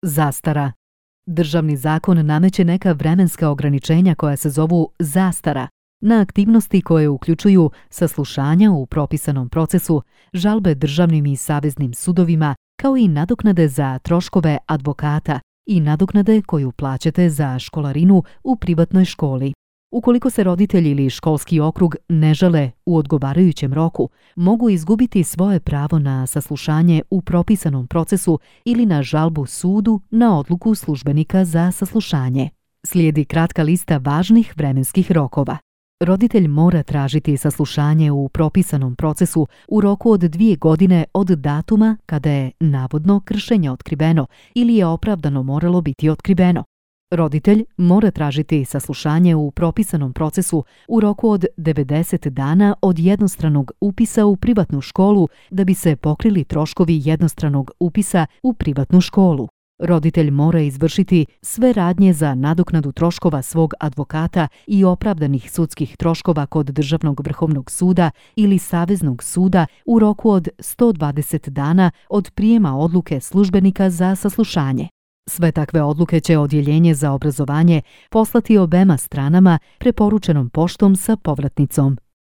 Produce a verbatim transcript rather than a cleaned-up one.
Zastara. Državni zakon nameće neka vremenska ograničenja koja se zovu zastara na aktivnosti koje uključuju saslušanja u propisanom procesu, žalbe državnim i saveznim sudovima, kao i nadoknade za troškove advokata i nadoknade koju plaćate za školarinu u privatnoj školi. Ukoliko se roditelj ili školski okrug ne žele u odgovarajućem roku, mogu izgubiti svoje pravo na saslušanje u propisanom procesu ili na žalbu sudu na odluku službenika za saslušanje. Slijedi kratka lista važnih vremenskih rokova. Roditelj mora tražiti saslušanje u propisanom procesu u roku od dvije godine od datuma kada je navodno kršenje otkriveno ili je opravdano moralo biti otkriveno. Roditelj mora tražiti saslušanje u propisanom procesu u roku od devedeset dana od jednostranog upisa u privatnu školu da bi se pokrili troškovi jednostranog upisa u privatnu školu. Roditelj mora izvršiti sve radnje za nadoknadu troškova svog advokata i opravdanih sudskih troškova kod Državnog vrhovnog suda ili Saveznog suda u roku od sto dvadeset dana od prijema odluke službenika za saslušanje. Sve takve odluke će Odjeljenje za obrazovanje poslati obema stranama preporučenom poštom sa povratnicom.